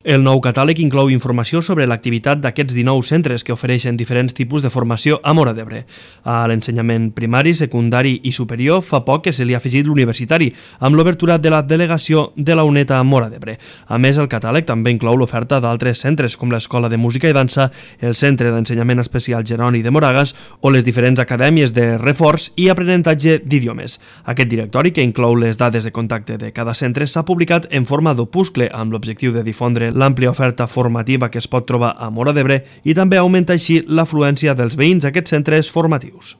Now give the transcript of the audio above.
El nou catàleg inclou informació sobre l'activitat d'aquests 19 centres que ofereixen diferents tipus de formació a Móra d'Ebre. A l'ensenyament primari, secundari i superior fa poc que se li ha afegit l'universitari, amb l'obertura de la delegació de la UNED a Móra d'Ebre. A més, el catàleg també inclou l'oferta d'altres centres com l'Escola de Música i Dansa, el Centre d'Ensenyament Especial Jeroni de Moragas o les diferents acadèmies de reforç i aprenentatge d'idiomes. Aquest directori, que inclou les dades de contacte de cada centre, s'ha publicat en forma d'opuscle amb l'objectiu de difondre l'àmplia oferta formativa que es pot trobar a Móra d'Ebre i també augmenta així l'afluència dels veïns a aquests centres formatius.